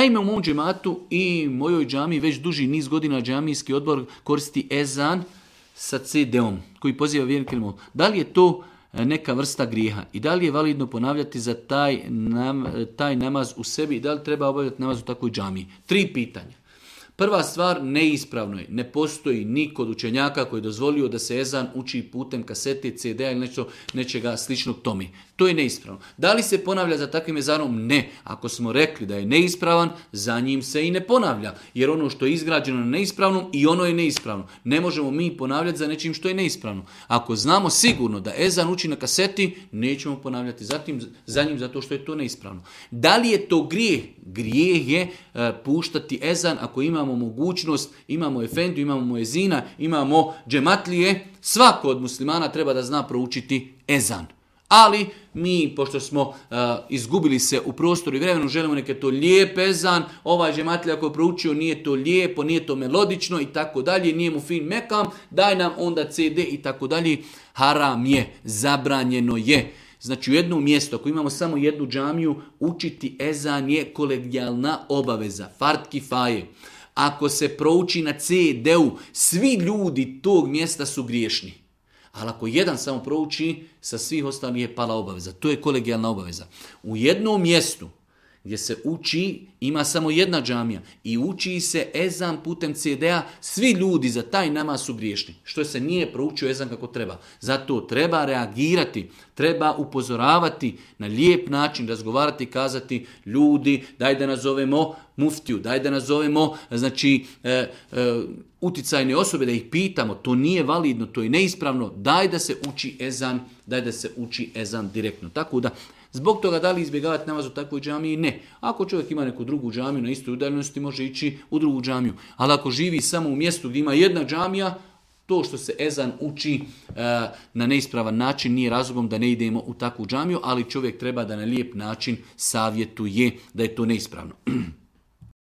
Naime, u mom džematu i mojoj džamiji već duži niz godina džamijski odbor koristi ezan sa CD-om koji poziva vjernike. Da li je to neka vrsta grijeha i da li je validno ponavljati za taj namaz u sebi i da li treba obavljati namaz u takvoj džamiji? 3 pitanja. Prva stvar, neispravno je. Ne postoji ni kod učenjaka koji je dozvolio da se ezan uči putem kasete, CD-a ili nečega sličnog tome. To je neispravno. Da li se ponavlja za takvim ezanom? Ne. Ako smo rekli da je neispravan, za njim se i ne ponavlja. Jer ono što je izgrađeno na neispravnom i ono je neispravno. Ne možemo mi ponavljati za nečim što je neispravno. Ako znamo sigurno da ezan uči na kaseti, nećemo ponavljati za njim zato što je to neispravno. Da li je to grijeh? Grijeh je puštati ezan ako imamo mogućnost, imamo efendiju, imamo muezina, imamo džematlije. Svako od muslimana treba da zna proučiti ezan. Ali mi, pošto smo izgubili se u prostoru i vremenu, želimo neke to lijep ezan, ovaj džematlija koji je proučio nije to lijepo, nije to melodično i tako dalje, nije mu fin mekam, daj nam onda CD i tako dalje. Haram je, zabranjeno je. Znači u jednom mjestu, ako imamo samo jednu džamiju, učiti ezan je kolegijalna obaveza, fard kifaje. Ako se prouči na CD-u, svi ljudi tog mjesta su griješni. Ali ako jedan samo prouči, sa svih ostalih je pala obaveza. To je kolegijalna obaveza. U jednom mjestu gdje se uči, ima samo jedna džamija i uči se ezan putem CD-a, svi ljudi za taj namaz su griješni. Što se nije proučio ezan kako treba. Zato treba reagirati, treba upozoravati na lijep način, razgovarati i kazati ljudi, daj da nazovemo muftiju, daj da nazovemo uticajne osobe, da ih pitamo, to nije validno, to je neispravno, daj da se uči ezan direktno. Tako da, zbog toga da li izbjegavati namaz u takvoj džamiji? Ne. Ako čovjek ima neku drugu džamiju na istoj udaljenosti, može ići u drugu džamiju. Ali ako živi samo u mjestu gdje ima jedna džamija, to što se ezan uči na neispravan način nije razlogom da ne idemo u takvu džamiju, ali čovjek treba da na lijep način savjetuje da je to neispravno.